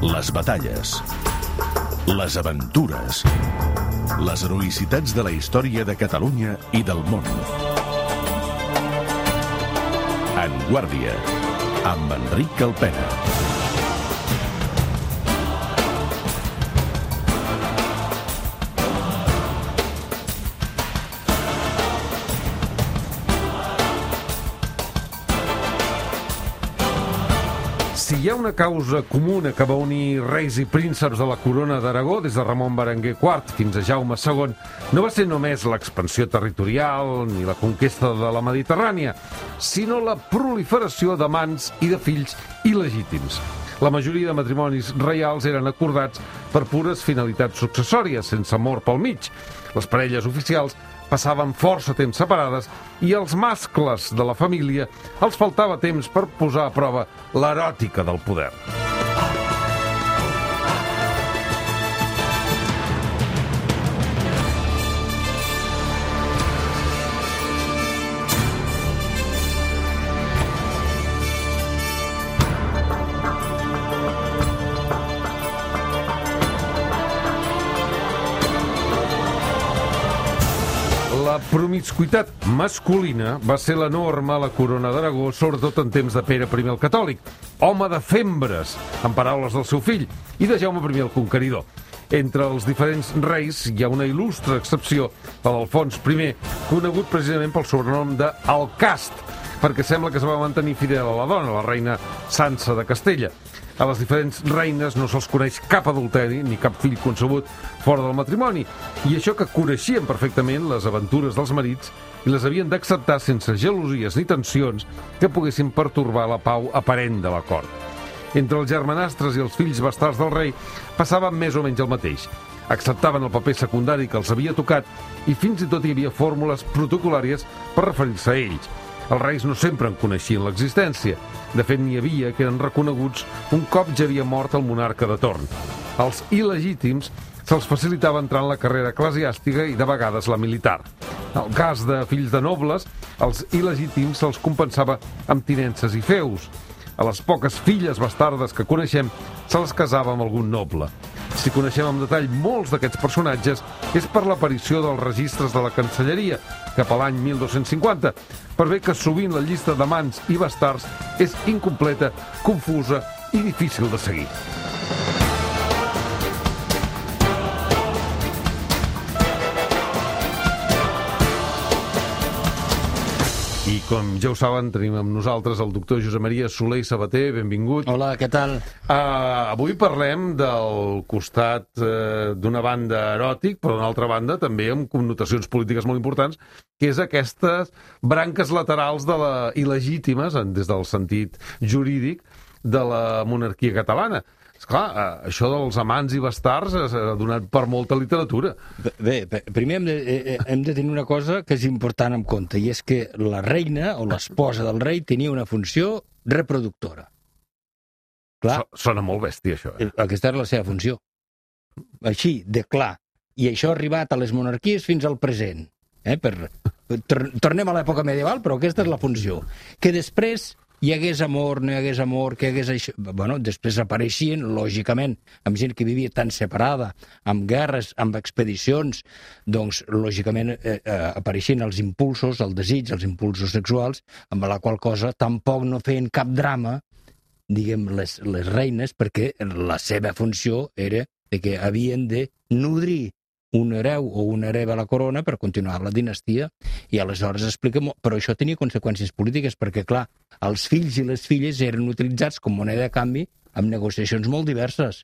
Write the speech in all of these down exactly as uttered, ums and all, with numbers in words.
Les batalles, les aventures, les heroïcitats de la història de Catalunya i del món. En Guàrdia, amb Enric Calpena. Si hi ha una causa comuna que va unir reis i prínceps de la corona d'Aragó, des de Ramon Berenguer quart fins a Jaume segon, no va ser només l'expansió territorial ni la conquesta de la Mediterrània, sinó la proliferació d'amants i de fills il·legítims. La majoria de matrimonis reials eren acordats per pures finalitats successòries, sense amor pel mig. Les parelles oficials passaven força temps separades i als mascles de la família els faltava temps per posar a prova l'eròtica del poder. La promiscuitat masculina va ser la norma a la corona d'Aragó, sobretot en temps de Pere primer el Catòlic, home de fembres, en paraules del seu fill, i de Jaume primer el Conqueridor. Entre els diferents reis hi ha una il·lustre excepció, la d'Alfons primer, conegut precisament pel sobrenom de Alcast, perquè sembla que es va mantenir fidel a la dona, la reina Sança de Castella. A les diferents reines no se'ls coneix cap adulteri ni cap fill concebut fora del matrimoni, i això que coneixien perfectament les aventures dels marits i les havien d'acceptar sense gelosies ni tensions que poguessin pertorbar la pau aparent de la cort. Entre els germanastres i els fills bastards del rei passaven més o menys el mateix. Acceptaven el paper secundari que els havia tocat i fins i tot hi havia fórmules protocolàries per referir-se a ells. Els reis no sempre en coneixien l'existència. De fet, n'hi havia que eren reconeguts un cop ja havia mort el monarca de torn. Als il·legítims se'ls facilitava entrar en la carrera eclesiàstica i de vegades la militar. En el cas de fills de nobles, als il·legítims se'ls compensava amb tinences i feus. A les poques filles bastardes que coneixem se les casava amb algun noble. Si coneixem amb detall molts d'aquests personatges és per l'aparició dels registres de la Cancelleria, cap a l'any mil dos-cents cinquanta, per bé que sovint la llista d'amants i bastards és incompleta, confusa i difícil de seguir. I com ja ho saben, tenim amb nosaltres el doctor Josep Maria Soler i Sabater. Benvingut. Hola, què tal? Uh, avui parlem del costat uh, d'una banda eròtic, però d'una altra banda també amb connotacions polítiques molt importants, que és aquestes branques laterals de la il·legítimes, des del sentit jurídic, de la monarquia catalana. Esclar, això dels amants i bastards ha donat per molta literatura. Bé, primer hem de, hem de tenir una cosa que és important en compte, i és que la reina o l'esposa del rei tenia una funció reproductora. Clar, Sona molt bèstia, això. Eh? Aquesta era la seva funció. Així, de clar. I això ha arribat a les monarquies fins al present. Eh? Per, tornem a l'època medieval, però aquesta és la funció. Que després hi hagués amor, no hi hagués amor, que hi hagués això... Bueno, després apareixien, lògicament, amb gent que vivia tan separada, amb guerres, amb expedicions, doncs, lògicament, eh, eh, apareixien els impulsos, el desig, els impulsos sexuals, amb la qual cosa tampoc no feien cap drama, diguem, les, les reines, perquè la seva funció era de que havien de nodrir un hereu o una hereva a la corona per continuar la dinastia, i aleshores explica... Però això tenia conseqüències polítiques, perquè, clar, els fills i les filles eren utilitzats com moneda de canvi amb negociacions molt diverses.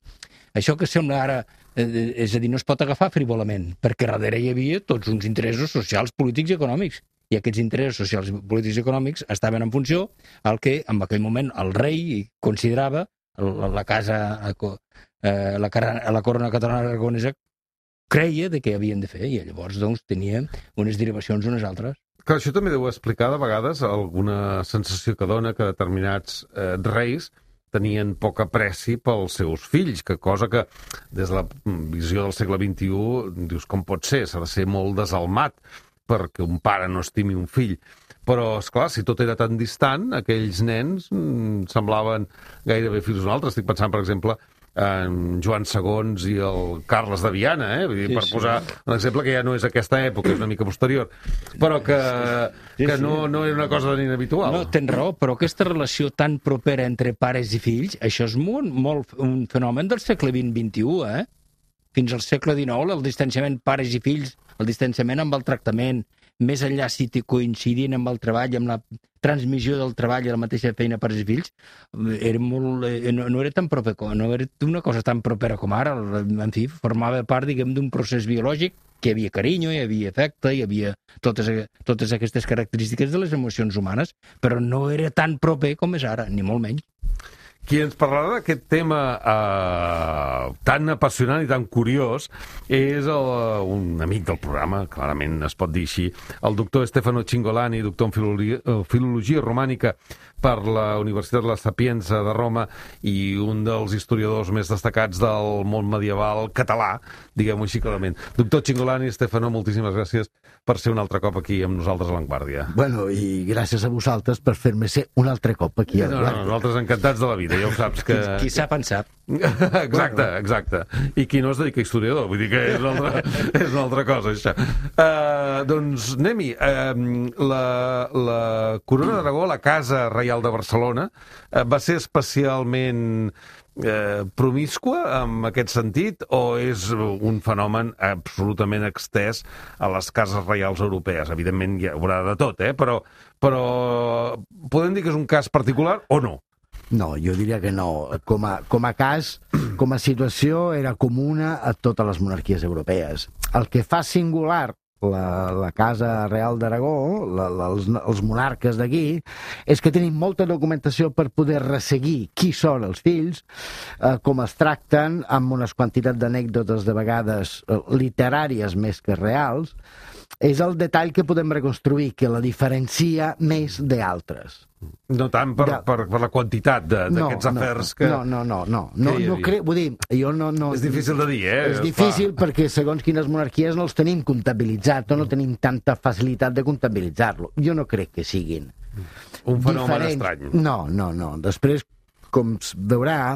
Això que sembla ara... Eh, és a dir, no es pot agafar frivolament, perquè darrere hi havia tots uns interessos socials, polítics i econòmics. I aquests interessos socials, polítics i econòmics estaven en funció al que, en aquell moment, el rei considerava la, la casa... Eh, la, la corona catalana aragonesa creia de què havien de fer, i llavors doncs, tenia unes derivacions unes altres. Clar, això també deu explicar de vegades alguna sensació que dona que determinats eh, reis tenien poc apreci pels seus fills, que cosa que des de la visió del segle vint-i-u dius, com pot ser? S'ha de ser molt desalmat perquè un pare no estimi un fill. Però, esclar, si tot era tan distant, aquells nens mm, semblaven gairebé fills d'un altre. Estic pensant, per exemple, en Joan segons i el Carles de Viana, eh? Vull dir, Sí, per sí. posar un exemple que ja no és aquesta època, és una mica posterior, però que, Sí, que sí. no, no era una cosa tan inhabitual. No, tens raó, però aquesta relació tan propera entre pares i fills, això és molt, molt un fenomen del segle vint vint i u, eh? Fins al segle dinou, el distanciament pares i fills, el distanciament amb el tractament, més enllà si t'hi coincidint amb el treball, amb la transmissió del treball i la mateixa feina pares i fills, era molt, eh, no, no era tan proper, com- no era una cosa tan propera com ara. En fi, formava part, diguem, d'un procés biològic que hi havia carinyo, hi havia afecte, hi havia totes, totes aquestes característiques de les emocions humanes, però no era tan proper com és ara, ni molt menys. Qui ens parlarà d'aquest tema eh, tan apassionant i tan curiós és el, un amic del programa, clarament es pot dir així, el doctor Stefano Cingolani, doctor en filologia, filologia romànica per la Universitat de la Sapienza de Roma i un dels historiadors més destacats del món medieval català, diguem-ho així clarament. Doctor Cingolani, Stefano, moltíssimes gràcies per ser un altre cop aquí amb nosaltres a l'Avantguàrdia. Bueno, i gràcies a vosaltres per fer-me ser un altre cop aquí a No, no, l'Avantguàrdia. nosaltres encantats de la vida, ja ho saps que... Qui sap en sap. Exacte, exacte. I qui no es dedica a historiador, vull dir que és una altra, és una altra cosa, això. Uh, doncs anem-hi. Uh, la, la Corona d'Aragó, la Casa Reial de Barcelona, uh, va ser especialment eh, promiscua en aquest sentit o és un fenomen absolutament extès a les cases reials europees? Evidentment hi haurà de tot, eh? però, però podem dir que és un cas particular o no? No, jo diria que no. Com a, com a cas, com a situació, era comuna a totes les monarquies europees. El que fa singular la, la Casa Real d'Aragó, la, la, els, els monarques d'aquí, és que tenim molta documentació per poder resseguir qui són els fills, eh, com es tracten, amb unes quantitats d'anècdotes de vegades eh, literàries més que reals. És el detall que podem reconstruir, que la diferencia més d'altres. No tant per, Ja. per, per la quantitat d'aquests no, afers que... No, no, no, no. no, que hi no havia. crec, vull dir, jo no, no... És difícil de dir, eh? És difícil Clar. perquè segons quines monarquies no els tenim comptabilitzats o no tenim tanta facilitat de comptabilitzar-lo. Jo no crec que siguin Un fenomen diferents. estrany. No, no, no. Després, com es veurà,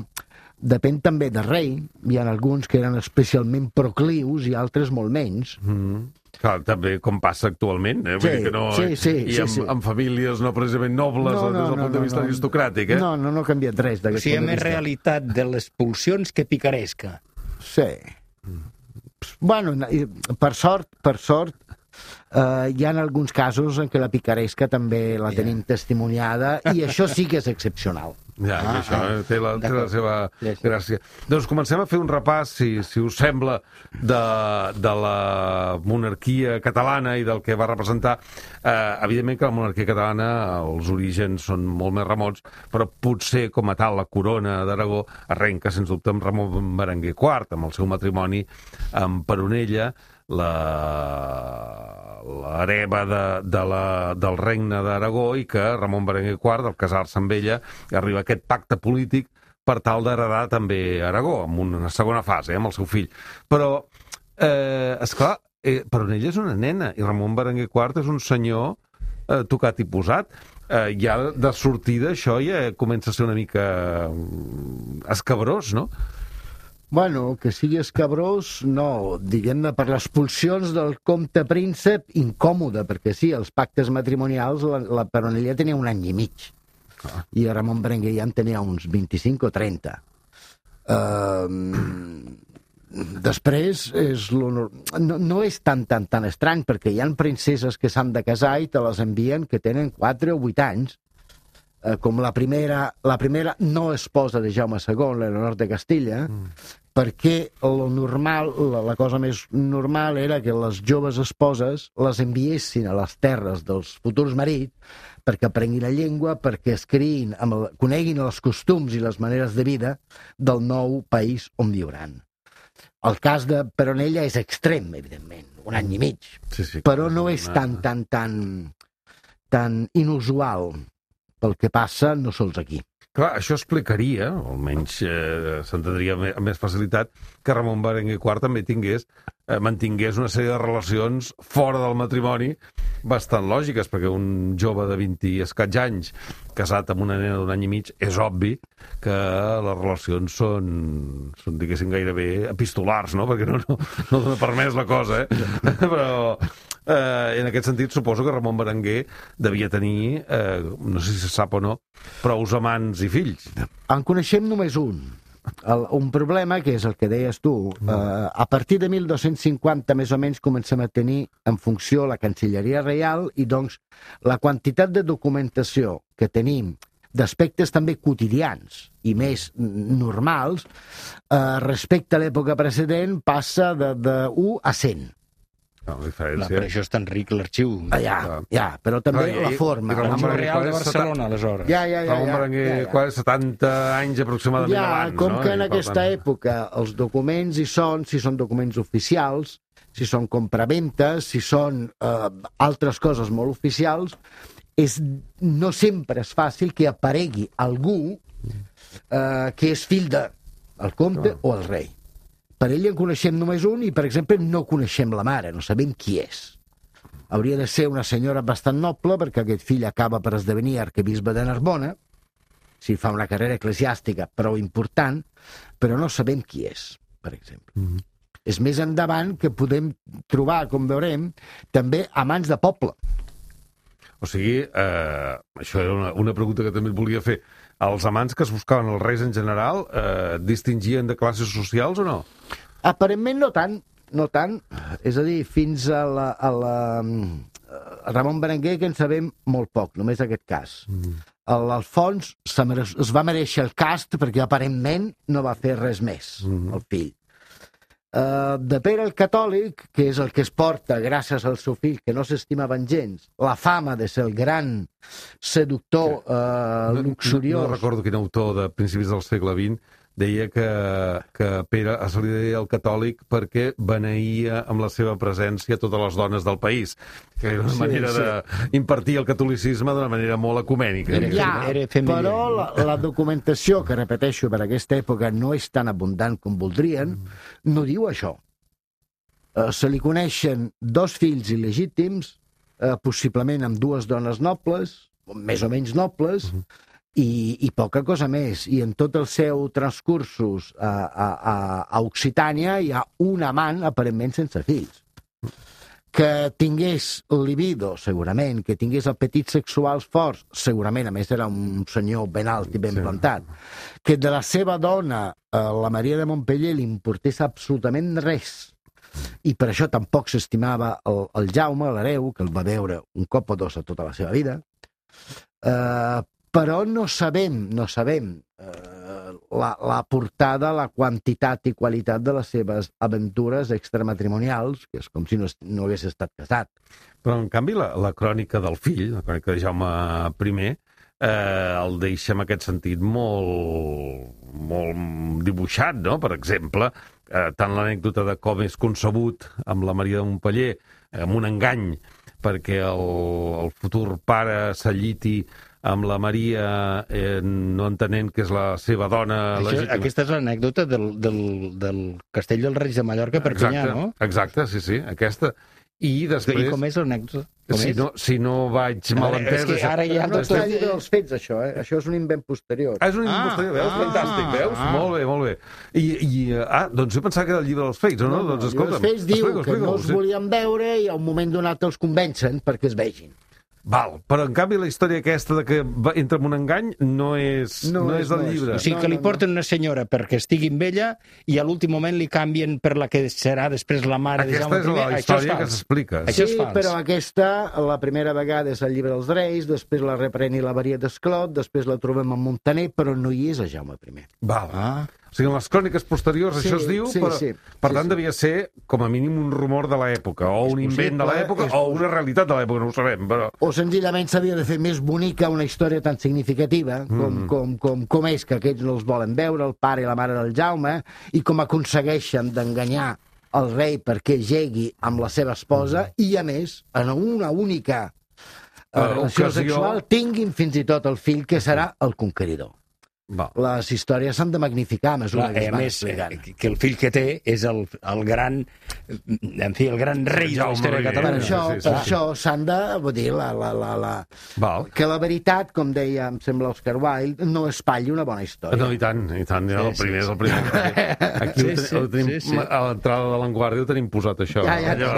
depèn també del rei. Hi ha alguns que eren especialment proclius i altres molt menys. Mm. Clar, també com passa actualment, eh? Vull Sí, dir que no... sí, sí, I sí, amb, sí. amb famílies no precisament nobles No, no, des del no, punt de no, vista no. aristocràtic, eh? No, no, no ha canviat res O d'aquest sigui, hi ha punt de més vista. realitat de les pulsions que picaresca. Sí. Bueno, i per sort, per sort, eh, hi ha alguns casos en què la picaresca també la tenim testimoniada i això sí que és excepcional. Ja, Ah, això ah, eh, té, la, té la d'acord. seva Sí, sí. gràcia. Doncs comencem a fer un repàs, si, si us sembla, de, de la monarquia catalana i del que va representar. Eh, evidentment que la monarquia catalana, els orígens són molt més remots, però potser com a tal la corona d'Aragó arrenca, sens dubte, amb Ramon Berenguer quart, amb el seu matrimoni amb Peronella, la l'hereva de, de la, del regne d'Aragó, i que Ramon Berenguer quart, al casar-se amb ella, arriba a aquest pacte polític per tal d'heredar també Aragó, amb una segona fase, eh, amb el seu fill. Però, eh, esclar, eh, Peronella és una nena, i Ramon Berenguer quart és un senyor eh, tocat i posat. Eh, ja de sortida això ja comença a ser una mica mm, escabrós, no? Bueno, que sigui escabrós, no. Diguem-ne, per les pulsions del comte príncep, incòmode, perquè sí, els pactes matrimonials, la, la Peronella tenia un any i mig. Ah. I Ramon Berenguer ja en tenia uns vint-i-cinc o trenta. Uh, després, és lo, no, no és tan, tan, tan estrany, perquè hi ha princeses que s'han de casar i te les envien que tenen quatre o vuit anys, uh, com la primera, la primera no esposa de Jaume segon, Leonor de Castilla, mm. perquè lo normal, la, la cosa més normal era que les joves esposes les enviessin a les terres dels futurs marits perquè aprenguin la llengua, perquè es criïn, amb el, coneguin els costums i les maneres de vida del nou país on viuran. El cas de Peronella és extrem, evidentment, un any i mig, Sí, sí, però no és tan, tan, tan, tan inusual pel que passa no sols aquí. Clar, això explicaria, o almenys eh, s'entendria amb més facilitat, que Ramon Berenguer quart també tingués, eh, mantingués una sèrie de relacions fora del matrimoni bastant lògiques, perquè un jove de vint i escaig anys casat amb una nena d'un any i mig, és obvi que les relacions són, són diguéssim, gairebé epistolars, no? Perquè no, no, no dona permès la cosa, eh? Però... Eh, en aquest sentit, suposo que Ramon Berenguer devia tenir, eh, no sé si se sap o no, prous amants i fills. En coneixem només un. El, un problema, que és el que deies tu, eh, a partir de mil dos-cents cinquanta més o menys comencem a tenir en funció la Cancelleria Reial i doncs la quantitat de documentació que tenim d'aspectes també quotidians i més normals eh, respecte a l'època precedent passa de, de u a cent. No, la Clar, diferència... per això és tan ric l'arxiu. Ah, ja, ja, però també Ah, i- la forma. i Ramon L'arxiu Berenguer real de és Barcelona, aleshores. Ja, ja, ja. Ramon ja, Berenguer, ja, ja. quasi setanta anys aproximadament Ja, abans, com no? que I, en per aquesta tant, època els documents hi són, si són documents oficials, si són compraventes, si són eh, altres coses molt oficials, és, no sempre és fàcil que aparegui algú eh, que és fill de el comte o el rei. Per ell en coneixem només un i, per exemple, no coneixem la mare, no sabem qui és. Hauria de ser una senyora bastant noble perquè aquest fill acaba per esdevenir arquebisbe de Narbona, si fa una carrera eclesiàstica prou important, però no sabem qui és, per exemple. Mm-hmm. És més endavant que podem trobar, com veurem, també amants de poble. O sigui, eh, això era una, una pregunta que també et volia fer. Els amants que es buscaven els reis en general eh, distingien de classes socials o no? Aparentment no tant, no tant. És a dir, fins a la, a la a Ramon Berenguer que en sabem molt poc, només aquest cas. Mm. L'Alfons es va mereixer el cast perquè aparentment no va fer res més, mm. el fill. Uh, de Pere el Catòlic, que és el que es porta gràcies al seu fill, que no s'estimaven gens, la fama de ser el gran seductor uh, luxuriós. No, no recordo quin autor de principis del segle vint deia que, que Pere se li deia el catòlic perquè beneïa amb la seva presència totes les dones del país, que era una Sí, manera sí. d'impartir el catolicisme d'una manera molt ecumènica. Era- Ja, era femení. però la, la documentació, que repeteixo, per aquesta època no és tan abundant com voldrien, no diu això. Uh, se li coneixen dos fills il·legítims, uh, possiblement amb dues dones nobles, més o menys nobles, uh -huh. i, i poca cosa més. I en tot el seu transcursos a, a, a, a Occitània hi ha un amant aparentment sense fills. Que tingués libido, segurament, que tingués apetits sexuals forts, segurament, a més era un senyor ben alt i ben Sí. plantat, que de la seva dona, eh, la Maria de Montpeller, li importés absolutament res, i per això tampoc s'estimava el, el Jaume, l'hereu, que el va veure un cop o dos a tota la seva vida, eh, però no sabem, no sabem eh, la, la portada, la quantitat i qualitat de les seves aventures extramatrimonials, que és com si no, no hagués estat casat. Però, en canvi, la, la crònica del fill, la crònica de Jaume primer, eh, el deixa en aquest sentit molt, molt dibuixat, no? Per exemple, eh, tant l'anècdota de com és concebut amb la Maria de Montpeller, eh, amb un engany, perquè el, el futur pare s'alliti amb la Maria, eh, no entenent que és la seva dona Això, legítima. aquesta és l'anècdota del, del, del Castell dels Reis de Mallorca per Perpinyà, Exacte, no? exacte, sí, sí, aquesta. I després... I com és l'anècdota? Com Si és? no, si no vaig mal Ara, és entès... que ara ja No tot... està al llibre dels fets, això, eh? Això és un invent posterior. Ah, és un Ah, impostor, veus? ah, Fantàstic, veus? ah. Molt bé, molt bé. I, i, ah, doncs jo pensava que era el llibre dels fets, o no? doncs escolta'm. Els fets diu explica-ho, que no explica-ho, els sí. volien veure i a un moment donat els convencen perquè es vegin. Val, però en canvi la història aquesta de que va, entra en un engany no és, no, No no és, és del no és. llibre. O sigui, No, que li no, no. porten una senyora perquè estigui amb ella i a l'últim moment li canvien per la que serà després la mare de Aquesta Jaume és primer. la Això és història que fals. s'explica. Això és Sí, fals. però aquesta, la primera vegada és al llibre dels Reis, després la reprèn i la varia d'Esclot, després la trobem a Montaner, però no hi és a Jaume primer. Val. Ah, O sigui, en les cròniques posteriors Sí, això es diu, sí, però, sí. per Sí, tant sí. devia ser com a mínim un rumor de l'època, o un invent de possible, l'època, és o una realitat de l'època, no ho sabem, però... O senzillament s'havia de fer més bonica una història tan significativa com, mm. com, com, com és que aquests no els volen veure, el pare i la mare del Jaume, i com aconsegueixen d'enganyar el rei perquè jegui amb la seva esposa mm. i, a més, en una única uh, Uh, relació ocasió. sexual tinguin fins i tot el fill que serà el conqueridor. Va. Les històries s'han de magnificar a mesura Clar, que es a van més, explicant. eh, que el fill que té és el, el gran, en fi, el gran rei de la Jaume història de I. Per Catalunya. això, sí, sí, per sí. això s'han de, vull dir, la, la, la, la, Val. que la veritat, com deia, em sembla Oscar Wilde, no espatlli una bona història. No, i tant, i tant, Sí, el sí, primer sí. és el primer. Aquí Sí, ho, ten, sí, ho tenim, sí, sí. a l'entrada de l'Enguàrdia ho tenim posat, això. Ja, ja. Allò,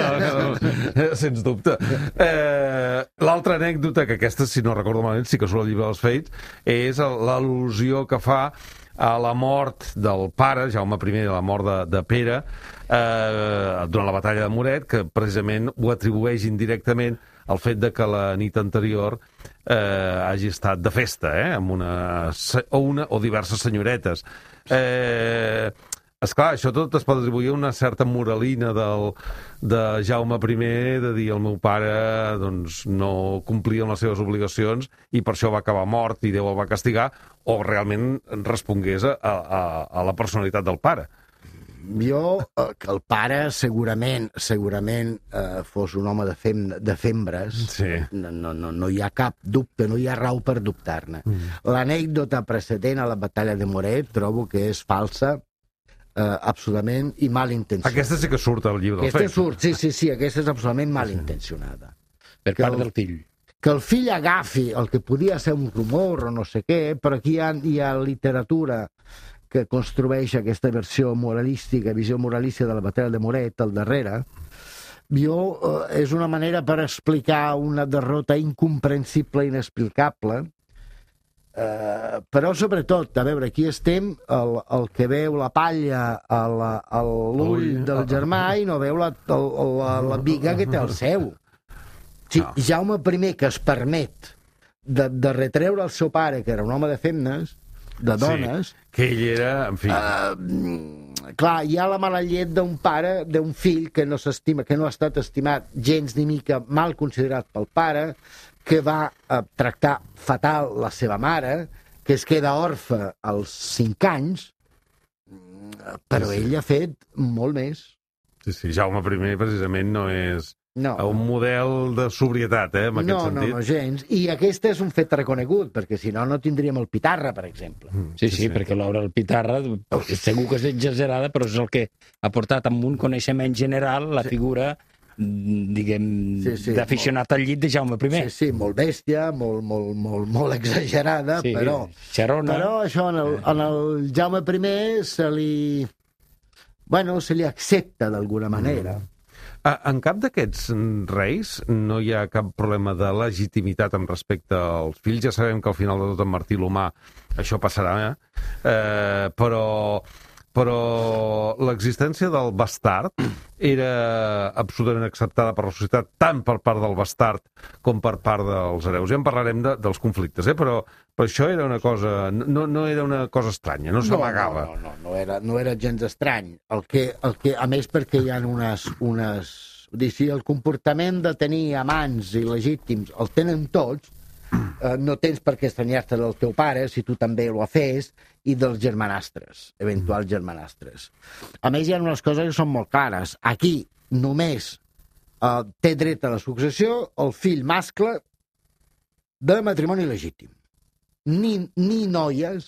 allò, sens dubte. Eh, L'altra anècdota, que aquesta, si no recordo malament, sí que surt al llibre dels Fets, és l'al·lusió que fa a la mort del pare, Jaume I, la mort de, de Pere, eh, durant la batalla de Moret, que precisament ho atribueix indirectament al fet de que la nit anterior eh, hagi estat de festa, eh, amb una, se- o una o diverses senyoretes. Eh, esclar, això tot es pot atribuir a una certa moralina del, de Jaume I, de dir el meu pare doncs, no complia amb les seves obligacions i per això va acabar mort i Déu el va castigar, o realment respongués a, a, a la personalitat del pare. Jo, eh, que el pare segurament segurament eh, fos un home de, fem, de fembres, Sí. no, no, no, no hi ha cap dubte, no hi ha raó per dubtar-ne. Mm. L'anècdota precedent a la batalla de Moret trobo que és falsa, eh, absolutament, i mal intencionada. Aquesta sí que surt al llibre dels Aquesta Fets. surt, sí, sí, sí, aquesta és absolutament mal intencionada. Per Que part el- del fill. Que el fill agafi el que podia ser un rumor o no sé què, però aquí hi ha, hi ha literatura que construeix aquesta versió moralística, visió moralística de la batalla de Moret al darrere. Jo, eh, és una manera per explicar una derrota incomprensible, inexplicable, eh, però sobretot, a veure, aquí estem el, el que veu la palla a la- a l'ull Ui. del germà i no veu la, el, la, la biga que té el seu. Sí, No. Jaume I, que es permet de, de retreure al seu pare, que era un home de femmes, de dones, Sí, que ell era, en fi... uh, clar, hi ha la mala llet d'un pare, d'un fill que no s'estima, que no ha estat estimat gens ni mica, mal considerat pel pare, que va uh, tractar fatal la seva mare, que es queda orfe als cinc anys, mm, però Sí, sí. ell ha fet molt més. Sí, sí, Jaume I precisament no és No. un model de sobrietat, eh, en aquest No, no, sentit. no, gens. I aquest és un fet reconegut, perquè si no, no tindríem el Pitarra, per exemple. Sí, sí, sí, perquè l'obra del Pitarra segur que és exagerada, però és el que ha portat amb un coneixement general la figura, diguem, Sí, sí, d'aficionat al llit de Jaume I. Sí, sí, molt bèstia, molt, molt, molt, molt exagerada, Sí, però... xerona. Però això en el, en el Jaume I se li... Bueno, se li accepta d'alguna manera. Ah, en cap d'aquests reis no hi ha cap problema de legitimitat en respecte als fills. Ja sabem que al final de tot en Martí l'Humà això passarà, eh? però, però l'existència del bastard era absolutament acceptada per la societat, tant per part del bastard com per part dels hereus. Ja en parlarem de, dels conflictes, eh? però, però això era una cosa, no, no era una cosa estranya, no s'amagava. No, no, no, no, era, no era gens estrany. El que, el que, a més, perquè hi ha unes... unes vull dir, si el comportament de tenir amants il·legítims el tenen tots, eh, no tens per què estranyar-te del teu pare si tu també ho fes, i dels germanastres, eventuals germanastres. A més, hi ha unes coses que són molt clares. Aquí només eh, té dret a la successió el fill mascle de matrimoni legítim. Ni, ni noies,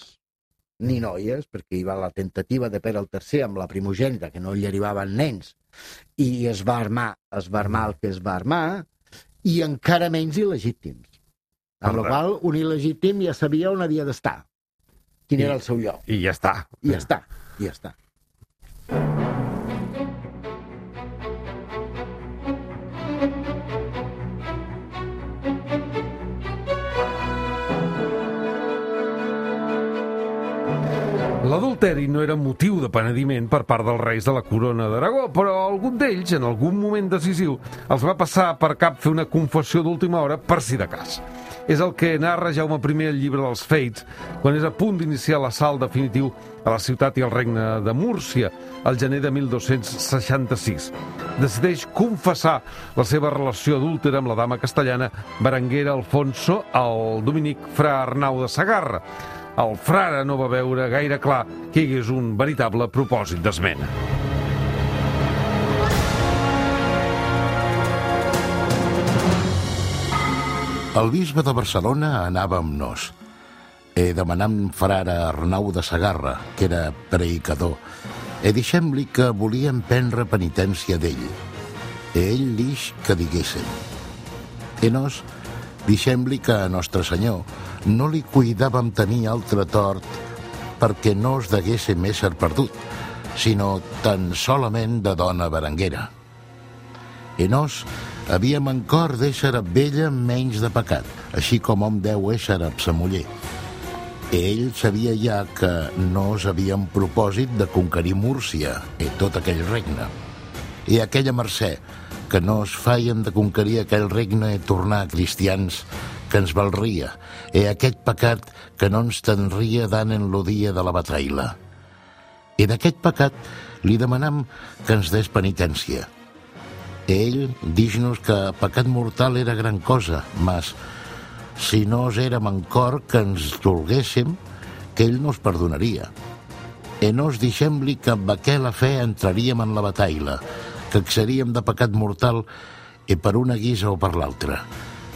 ni noies, perquè hi va la tentativa de Pere el tercer amb la primogènita, que no li arribaven nens, i es va armar, es va armar el que es va armar, i encara menys il·legítims. Amb la qual un il·legítim ja sabia on havia d'estar, quin I, era el seu lloc. I ja està. I ja està, i ja està. L'adulteri no era motiu de penediment per part dels reis de la corona d'Aragó, però algun d'ells, en algun moment decisiu, els va passar per cap fer una confessió d'última hora per si de cas. És el que narra Jaume I al llibre dels Fets, quan és a punt d'iniciar l'assalt definitiu a la ciutat i al regne de Múrcia, al gener de mil dos-cents seixanta-sis. Decideix confessar la seva relació adúltera amb la dama castellana Berenguera Alfonso al dominic fra Arnau de Segarra. El frare no va veure gaire clar que hi hagués un veritable propòsit d'esmena. El bisbe de Barcelona anava amb nos. e demanam frare Arnau de Segarra, que era predicador, e deixem-li que volíem prendre penitència d'ell. E ell dix que diguéssim. E nos deixem-li que a Nostre Senyor no li cuidàvem tenir altre tort perquè no es deguéssim ésser perdut, sinó tan solament de dona berenguera. E nos havíem en cor d'ésser amb ella menys de pecat, així com hom deu ésser amb sa muller. E ell sabia ja que no us havíem propòsit de conquerir Múrcia i tot aquell regne. I aquella mercè, que no es feien de conquerir aquell regne i tornar cristians, que ens valria, i aquest pecat que no ens tendria dan en lo dia de la bataila. I d'aquest pecat li demanam que ens des penitència. Ell dix-nos que pecat mortal era gran cosa, mas si no es érem en cor que ens dolguéssim, que ell nos perdonaria. E nos deixem-li que amb aquella fe entraríem en la bataila, que seríem de pecat mortal i per una guisa o per l'altra,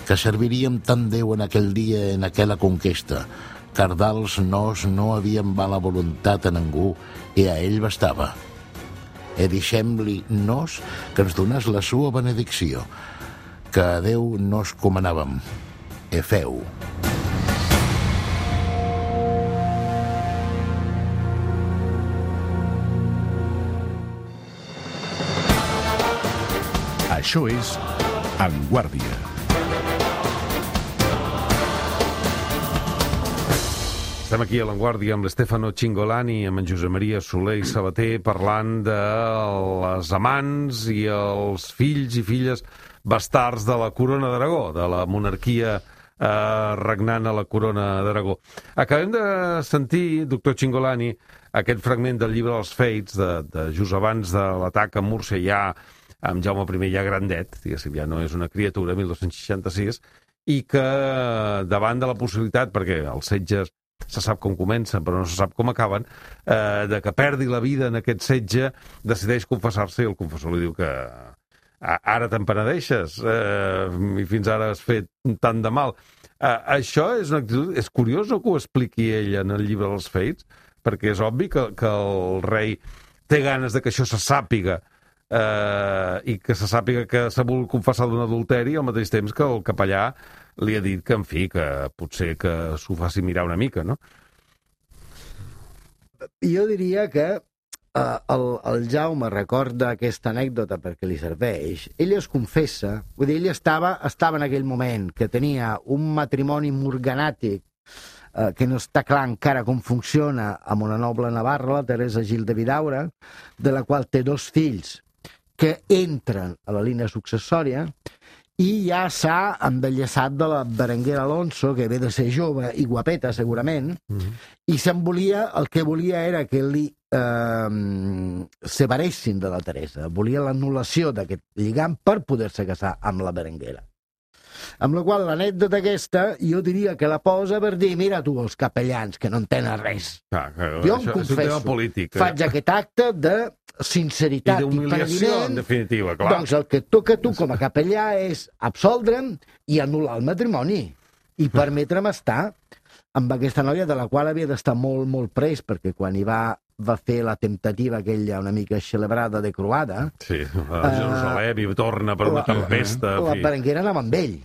que serviríem tant Déu en aquell dia en aquella conquesta, car d'als nos no havíem mala voluntat a ningú i a ell bastava. E deixem-li nos que ens donàs la sua benedicció, que a Déu nos comanàvem. E feu. Això és En Guàrdia. Estem aquí a l'Avantguàrdia amb l'Stefano Cingolani, amb en Josep Maria Soler i Sabater, parlant de les amants i els fills i filles bastards de la Corona d'Aragó, de la monarquia eh, regnant a la Corona d'Aragó. Acabem de sentir, doctor Cingolani, aquest fragment del llibre dels Fates, de, de just abans de l'atac a Múrcia, ja amb Jaume I ja grandet, diguéssim, ja no és una criatura, mil dos-cents seixanta-sis, i que davant de la possibilitat, perquè els setges se sap com comencen, però no se sap com acaben, eh, de que perdi la vida en aquest setge, decideix confessar-se i el confessor li diu que ara te'n penedeixes eh, i fins ara has fet tant de mal. Eh, això és una actitud... És curiós que ho expliqui ell en el llibre dels Fates, perquè és obvi que, que el rei té ganes de que això se sàpiga eh, i que se sàpiga que s'ha volgut confessar d'un adulteri al mateix temps que el capellà li ha dit que, en fi, que potser que s'ho faci mirar una mica, no? Jo diria que uh, el, el Jaume recorda aquesta anècdota perquè li serveix. Ell es confessa, vull dir, ell estava, estava en aquell moment que tenia un matrimoni morganàtic uh, que no està clar encara com funciona, amb una noble navarra, la Teresa Gil de Vidaura, de la qual té dos fills que entren a la línia successòria, i ja s'ha embellessat de la Berenguera Alonso, que ve de ser jove i guapeta, segurament, mm-hmm. i se'n volia, el que volia era que li eh, separessin de la Teresa. Volia l'anul·lació d'aquest lligam per poder-se casar amb la Berenguera. Amb la qual l'anècdota aquesta, jo diria que la posa per dir, mira tu, els capellans, que no entenen res. Ah, que, jo això, em confesso, polític, eh? faig aquest acte de sinceritat i, i d'humiliació, en definitiva, clar. Doncs el que et toca a tu com a capellà és absoldre'm i anul·lar el matrimoni i permetre'm estar amb aquesta noia de la qual havia d'estar molt, molt pres, perquè quan hi va, va fer la temptativa aquella una mica celebrada de croada... Sí, a Jerusalem i torna per una la, tempesta... La, la Berenguera anava amb ell.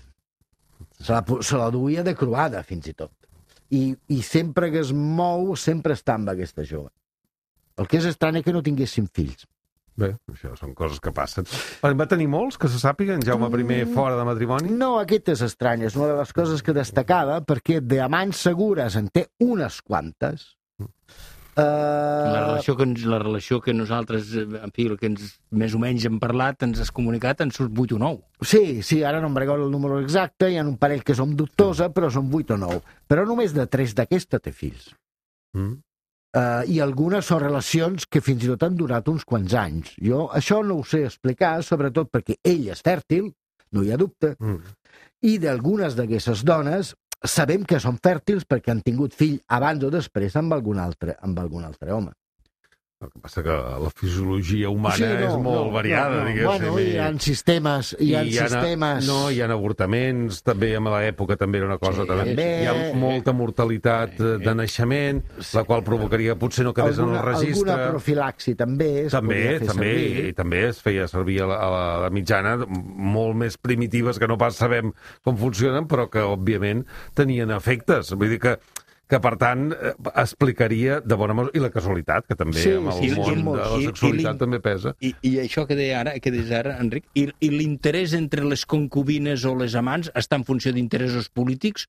Se la, se la duia de croada, fins i tot. I, I sempre que es mou, sempre està amb aquesta jove. El que és estrany és que no tinguessin fills. Bé, això són coses que passen. Va tenir molts, que se sàpiga, en Jaume I fora de matrimoni? No, aquest és estrany. És una de les coses que destacava, perquè d'amants segures en té unes quantes. Uh... La, relació que ens, la relació que nosaltres, en fi, el que ens més o menys hem parlat, ens has comunicat, en surt vuit o nou. Sí, sí, ara no em recordo el número exacte, hi ha un parell que som dubtosa, però són vuit o nou. Però només de tres d'aquesta té fills. Mm. Uh, I algunes són relacions que fins i tot han durat uns quants anys. Jo això no ho sé explicar, sobretot perquè ell és fèrtil, no hi ha dubte, mm. i d'algunes d'aquestes dones sabem que són fèrtils perquè han tingut fill abans o després amb algun altre, amb algun altre home. El que passa que la fisiologia humana Sí, no, és molt no, variada, no, no. diguéssim. Bueno, hi ha sistemes, hi ha I ha, sistemes... No, hi ha avortaments, també en l'època també era una cosa... Sí, també, també. hi ha molta mortalitat eh, de naixement, la qual provocaria potser no quedés alguna, en el registre. Alguna profilaxi també es També, podia fer també, servir. i també es feia servir a la, a la, a la mitjana molt més primitives que no pas sabem com funcionen, però que, òbviament, tenien efectes. Vull dir que que, per tant, eh, explicaria de bona mesura, i la casualitat, que també Sí, amb el sí, sí, món molt. de la I- i sexualitat l'in- també pesa. I, I això que deia ara, que deies ara, Enric, i, i l'interès entre les concubines o les amants està en funció d'interessos polítics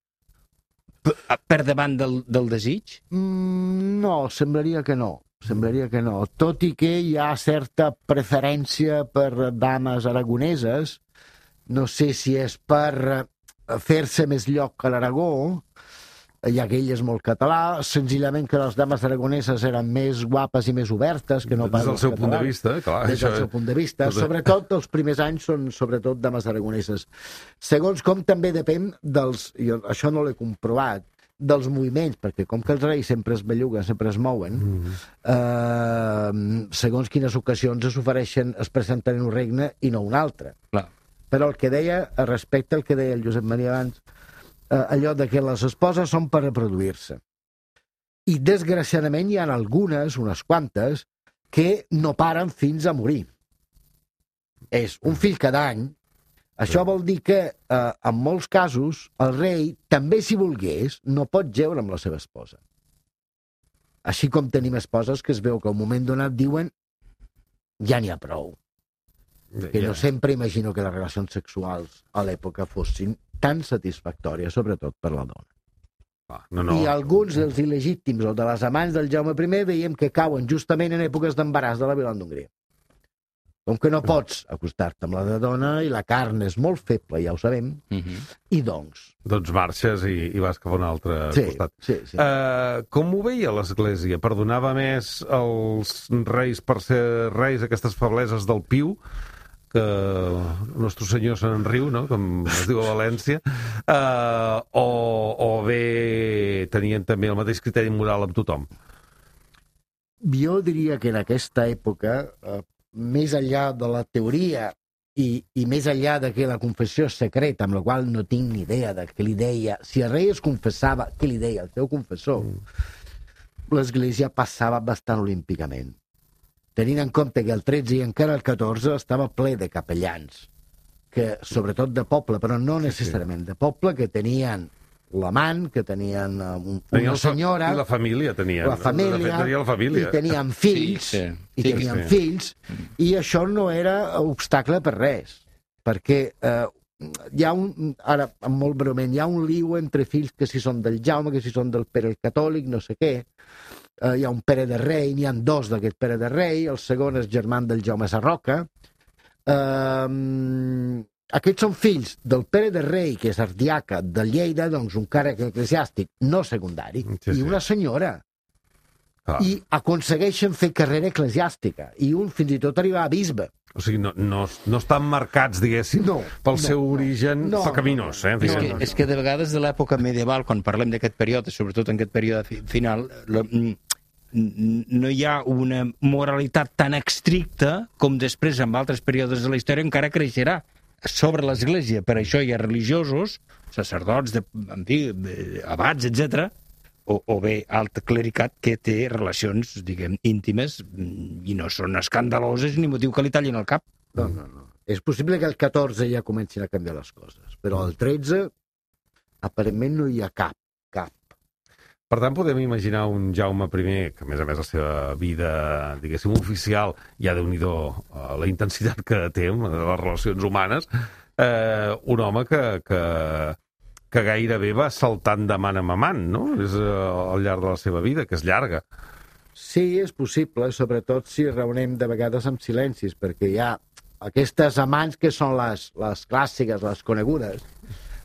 per, per davant del, del desig? Mm, no, semblaria que no. Semblaria que no. Tot i que hi ha certa preferència per dames aragoneses, no sé si és per eh, fer-se més lloc a l'Aragó, ja que ell és molt català, senzillament que les dames aragoneses eren més guapes i més obertes que no pas Des del els seu punt de catalans. vista, clar. Des això del seu punt de vista. Tot- Sobretot els primers anys són sobretot dames aragoneses. Segons com també depèn dels... Jo això no l'he comprovat, dels moviments, perquè com que els reis sempre es belluguen, sempre es mouen, Mm. eh, segons quines ocasions es ofereixen, es presenten en un regne i no un altre. Clar. Però el que deia, respecte al que deia el Josep Maria abans, eh, allò de que les esposes són per reproduir-se. I, desgraciadament, hi ha algunes, unes quantes, que no paren fins a morir. És un fill cada any. Això vol dir que, eh, en molts casos, el rei, també si volgués, no pot jeure amb la seva esposa. Així com tenim esposes que es veu que al moment donat diuen ja n'hi ha prou. Que Ja. no sempre imagino que les relacions sexuals a l'època fossin tan satisfactòries, sobretot per la dona. Ah, no, No. no. I alguns dels il·legítims o de les amants del Jaume I veiem que cauen justament en èpoques d'embaràs de la Vila d'Hongria. Com que no pots acostar-te amb la de dona i la carn és molt feble, ja ho sabem, Uh -huh. i doncs... Doncs marxes i, i vas cap a un altre Sí, costat. sí, sí. Uh, com ho veia l'Església? Perdonava més els reis per ser reis aquestes febleses del piu, que el nostre senyor se n'enriu, no?, com es diu a València, uh, o, o bé tenien també el mateix criteri moral amb tothom? Jo diria que en aquesta època, eh, més enllà de la teoria i, i més enllà de que la confessió és secreta, amb la qual no tinc ni idea de què li deia, si el rei es confessava, què li deia el seu confessor, mm. l'Església passava bastant olímpicament. Tenint en compte que el tretze i encara el catorze estava ple de capellans, que sobretot de poble, però no necessàriament de poble, que tenien l'amant, que tenien uh, un, Tenia una el fa- senyora... I la família tenien. La família, De fet, tenia la família. i tenien fills, Sí, sí. i Sí, tenien sí. fills, i això no era obstacle per res, perquè eh, hi ha un, ara, molt breument, hi ha un liu entre fills que si són del Jaume, que si són del Pere el Catòlic, no sé què, eh, hi ha un Pere de Rei, n'hi ha dos d'aquest Pere de Rei, el segon és germà del Jaume Sarroca, eh, aquests són fills del Pere de Rei, que és ardiaca de Lleida, doncs un càrrec eclesiàstic no secundari, Sí, sí. i una senyora, Clar. i aconsegueixen fer carrera eclesiàstica, i un fins i tot arribar a bisbe. O sigui, no, no, no estan marcats, diguéssim, No, pel no, seu no. origen No, pecaminós. Eh? no, És no, que, no, és que de vegades de l'època medieval, quan parlem d'aquest període, sobretot en aquest període fi- final, la, mm, n- no hi ha una moralitat tan estricta com després en altres períodes de la història encara creixerà sobre l'Església. Per això hi ha religiosos, sacerdots, de, en fi, de- abats, etcètera, o, o bé alt clericat que té relacions, diguem, íntimes mm, i no són escandaloses ni motiu que li tallin el cap. No, no, no. És possible que el catorze ja comencin a canviar les coses, però el tretze aparentment no hi ha cap, cap. Per tant, podem imaginar un Jaume I, que a més a més la seva vida, diguéssim, oficial, ja déu-n'hi-do eh, la intensitat que té amb les relacions humanes, eh, un home que, que, que gairebé va saltant de man en man, no? És eh, al llarg de la seva vida, que és llarga. Sí, és possible, sobretot si reunem de vegades amb silencis, perquè hi ha aquestes amants que són les, les clàssiques, les conegudes,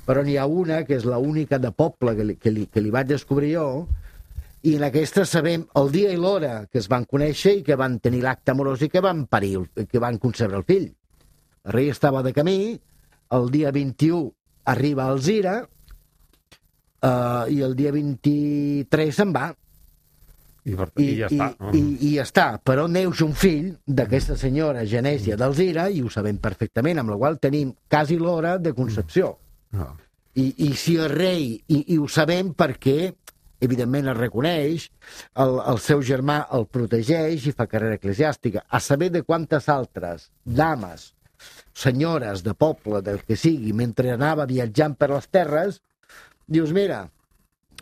però n'hi ha una que és l'única de poble que li, que, li, que li vaig descobrir jo, i en aquesta sabem el dia i l'hora que es van conèixer i que van tenir l'acte amorós i que van parir, el- que van concebre el fill. El rei estava de camí, el dia vint-i-u arriba a Alzira, eh, i el dia vint-i-tres se'n va. I, per, I, i ja i, està. i, i ja està, però neix un fill d'aquesta senyora Genèsia d'Alzira, i ho sabem perfectament, amb la qual tenim quasi l'hora de concepció. No. I, i si el rei, i, i ho sabem perquè evidentment el reconeix, el, el seu germà el protegeix i fa carrera eclesiàstica. A saber de quantes altres dames, senyores de poble, del que sigui, mentre anava viatjant per les terres, dius, mira,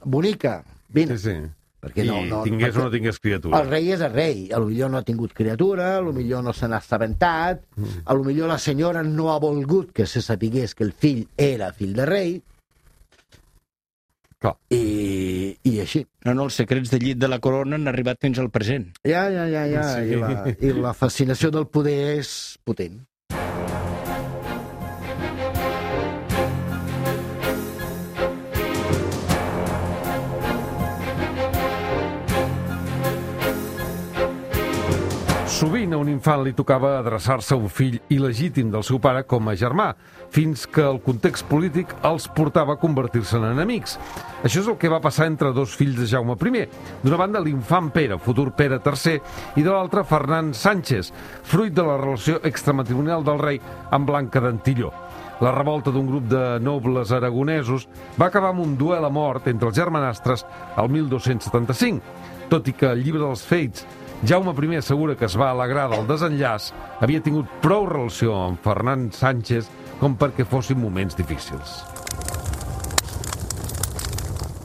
bonica, vine. Sí, sí. Perquè I no, no, tingués perquè o no tingués criatura. el rei és el rei, a lo millor no ha tingut criatura, a lo millor no se n'ha assabentat, a lo millor la senyora no ha volgut que se sapigués que el fill era fill de rei, Clar. i, i així. No, no, els secrets del llit de la corona han arribat fins al present. Ja, ja, ja, ja. Sí. I, la, i la fascinació del poder és potent. Sovint a un infant li tocava adreçar-se a un fill il·legítim del seu pare com a germà, fins que el context polític els portava a convertir-se en enemics. Això és el que va passar entre dos fills de Jaume primer. D'una banda, l'infant Pere, futur Pere tercer, i de l'altra, Fernand Sánchez, fruit de la relació extramatrimonial del rei amb Blanca d'Antilló. La revolta d'un grup de nobles aragonesos va acabar amb un duel a mort entre els germanastres el mil dos-cents setanta-cinc, tot i que el llibre dels Fets Jaume primer assegura que es va alegrar del desenllaç, havia tingut prou relació amb Fernand Sánchez com perquè fossin moments difícils.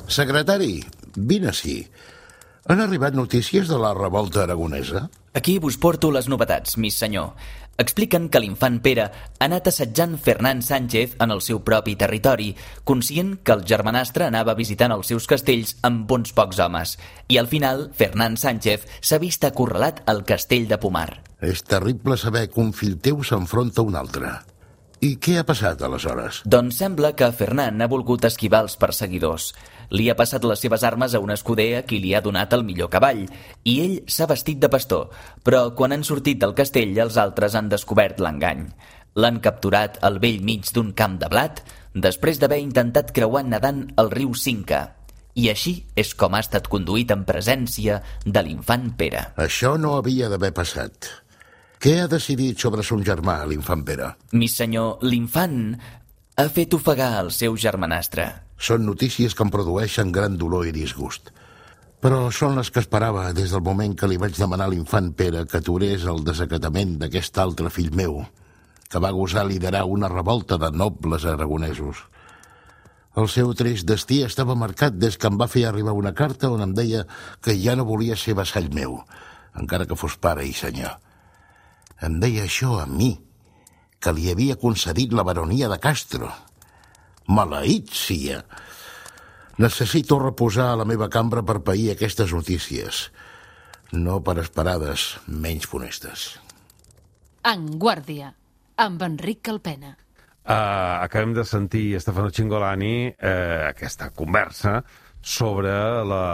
Secretari, vine ací. Han arribat notícies de la revolta aragonesa? Aquí vos porto les novetats, mis senyor. Expliquen que l'infant Pere ha anat assetjant Fernand Sánchez en el seu propi territori, conscient que el germanastre anava visitant els seus castells amb bons pocs homes. I al final, Fernand Sánchez s'ha vist acorralat al castell de Pomar. És terrible saber que un fill teu s'enfronta a un altre. I què ha passat, aleshores? Doncs sembla que Fernand ha volgut esquivar els perseguidors. Li ha passat les seves armes a un escuder a qui li ha donat el millor cavall, i ell s'ha vestit de pastor, però quan han sortit del castell els altres han descobert l'engany. L'han capturat al vell mig d'un camp de blat, després d'haver intentat creuar nedant el riu Cinca. I així és com ha estat conduït en presència de l'infant Pere. Això no havia d'haver passat. Què ha decidit sobre son germà, l'infant Pere? Mi senyor, l'infant ha fet ofegar el seu germanastre. Són notícies que em produeixen gran dolor i disgust. Però són les que esperava des del moment que li vaig demanar a l'infant Pere que aturés el desacatament d'aquest altre fill meu, que va gosar liderar una revolta de nobles aragonesos. El seu trist destí estava marcat des que em va fer arribar una carta on em deia que ja no volia ser vassall meu, encara que fos pare i senyor. Em deia això a mi, que li havia concedit la baronia de Castro. Maleït sia! Necessito reposar a la meva cambra per pair aquestes notícies, no per esperades menys funestes. En Guàrdia, amb Enric Calpena. Uh, acabem de sentir Stefano Cingolani uh, aquesta conversa sobre la,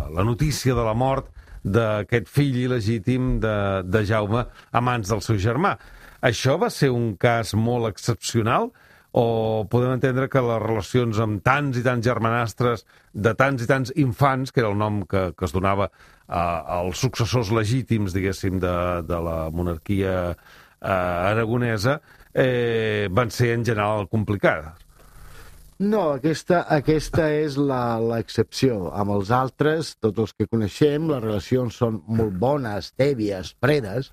la notícia de la mort d'aquest fill il·legítim de, de Jaume a mans del seu germà. Això va ser un cas molt excepcional o podem entendre que les relacions amb tants i tants germanastres de tants i tants infants, que era el nom que, que es donava uh, als successors legítims, diguéssim, de, de la monarquia uh, aragonesa, eh, van ser en general complicades? No, aquesta, aquesta és l'excepció. Amb els altres, tots els que coneixem, les relacions són molt bones, tèbies, fredes,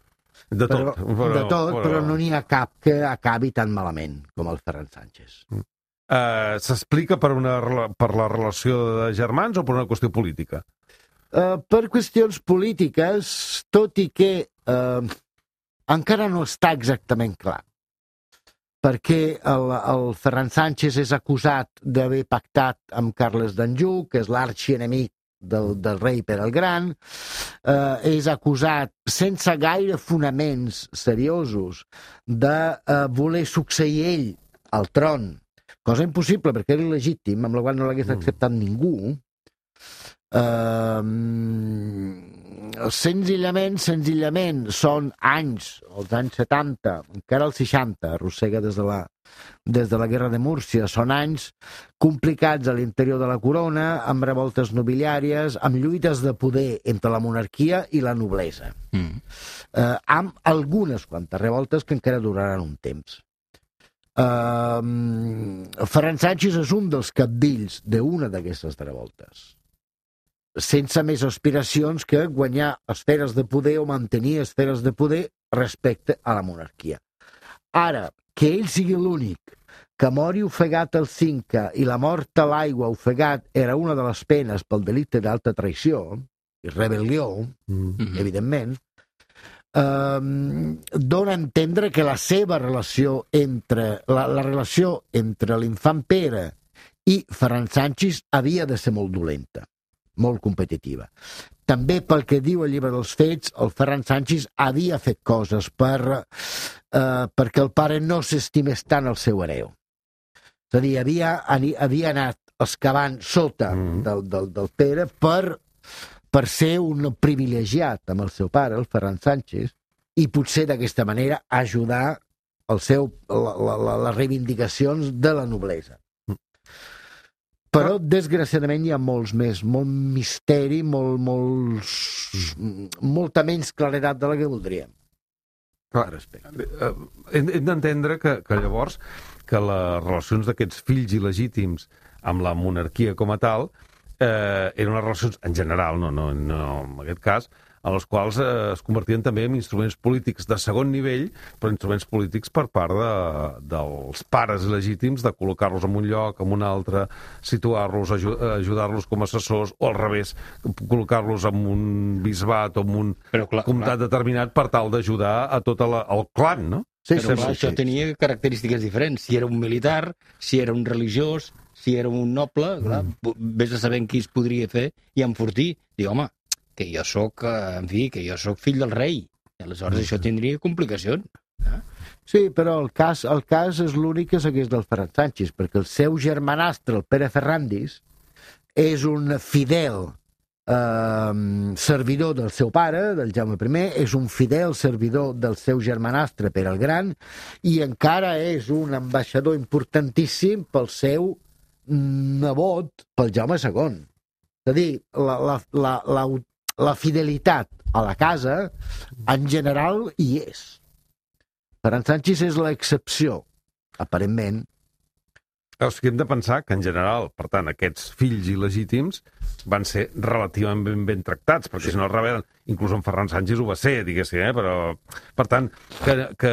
De tot, però, però, de tot, però... però no n'hi ha cap que acabi tan malament com el Ferran Sánchez. Uh, S'explica per, una, per la relació de germans o per una qüestió política? Uh, per qüestions polítiques, tot i que uh, encara no està exactament clar. Perquè el, el Ferran Sánchez és acusat d'haver pactat amb Carles d'Anjou, que és l'arxienemic del, del rei Pere el Gran, eh, és acusat sense gaire fonaments seriosos de eh, voler succeir ell al tron, cosa impossible perquè era il·legítim, amb la qual no l'hagués acceptat mm. ningú. Eh, senzillament, senzillament, són anys, els anys setanta, encara els seixanta, arrossega des de la, des de la Guerra de Múrcia, són anys complicats a l'interior de la corona, amb revoltes nobiliàries, amb lluites de poder entre la monarquia i la noblesa. Mm. Eh, amb algunes quantes revoltes que encara duraran un temps. Uh, Ferran Sanchis és un dels capdills d'una d'aquestes revoltes, sense més aspiracions que guanyar esferes de poder o mantenir esferes de poder respecte a la monarquia. Ara, que ell sigui l'únic que mori ofegat al Cinca i la mort a l'aigua ofegat era una de les penes pel delicte d'alta traïció i rebel·lió, mm-hmm. evidentment, Um, dona a entendre que la seva relació entre la, la relació entre l'infant Pere i Ferran Sanchis havia de ser molt dolenta, molt competitiva. També pel que diu el llibre dels fets, el Ferran Sanchis havia fet coses per, uh, perquè el pare no s'estimés tant el seu hereu. És a dir, havia, havia anat excavant sota mm. del, del, del Pere per per ser un privilegiat amb el seu pare, el Ferran Sanchis, i potser d'aquesta manera ajudar el seu, la, la, les reivindicacions de la noblesa. Però, desgraciadament, hi ha molts més, molt misteri, molt, molts, molta menys claredat de la que voldríem. Clar, hem, hem d'entendre que, que llavors que les relacions d'aquests fills il·legítims amb la monarquia com a tal Eh, eren unes relacions, en general, no, no, no en aquest cas, en les quals eh, es convertien també en instruments polítics de segon nivell, però instruments polítics per part de, dels pares legítims, de col·locar-los en un lloc, en un altre, situar-los, aju ajudar-los com a assessors, o al revés, col·locar-los en un bisbat o en un però, clar, comtat clar. determinat per tal d'ajudar a tot la, el clan, no? Sí, però clar, això tenia característiques diferents. Si era un militar, si era un religiós, si era un noble, clar, mm. vés a saber qui es podria fer i enfortir. Diu, home, que jo sóc, en fi, que jo sóc fill del rei. I aleshores mm. això tindria complicacions. Eh? Sí, però el cas, el cas és l'únic que segueix del Ferran Sanchis, perquè el seu germanastre, el Pere Ferrandis, és un fidel eh, servidor del seu pare, del Jaume primer, és un fidel servidor del seu germanastre Pere el Gran, i encara és un ambaixador importantíssim pel seu nebot, pel Jaume segon. És a dir, la, la, la, la, la fidelitat a la casa, en general, hi és. Ferran Sanchis és l'excepció, aparentment. O sigui, hem de pensar que, en general, per tant, aquests fills il·legítims van ser relativament ben, ben tractats, perquè sí. si no es rebel·len, inclús en Ferran Sanchis ho va ser, diguéssim, eh? Però, per tant, que, que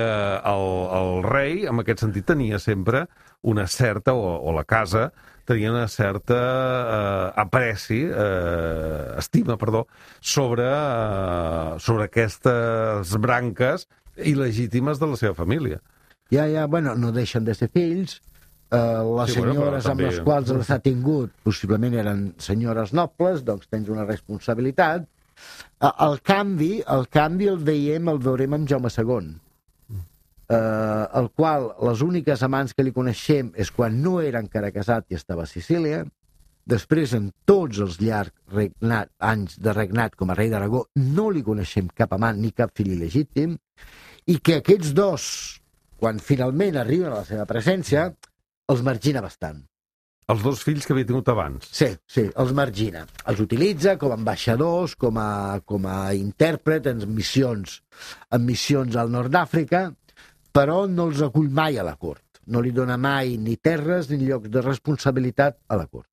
el, el rei, en aquest sentit, tenia sempre una certa, o, o la casa, tenia una certa eh, apreci, eh, estima, perdó, sobre, eh, sobre aquestes branques il·legítimes de la seva família. Ja, ja, bueno, no deixen de ser fills. Uh, les sí, senyores bueno, amb també... les quals els ha tingut possiblement eren senyores nobles, doncs tens una responsabilitat. Uh, el canvi el canvi el veiem, el veurem amb Jaume segon, uh, el qual les úniques amants que li coneixem és quan no era encara casat i estava a Sicília. Després, en tots els llargs regnat, anys de regnat com a rei d'Aragó, no li coneixem cap amant ni cap fill il·legítim, i que aquests dos, quan finalment arriben a la seva presència, els margina bastant. Els dos fills que havia tingut abans. Sí, sí, els margina. Els utilitza com a ambaixadors, com a, com a intèrpret en missions, en missions al nord d'Àfrica, però no els acull mai a la cort. No li dona mai ni terres ni llocs de responsabilitat a la cort.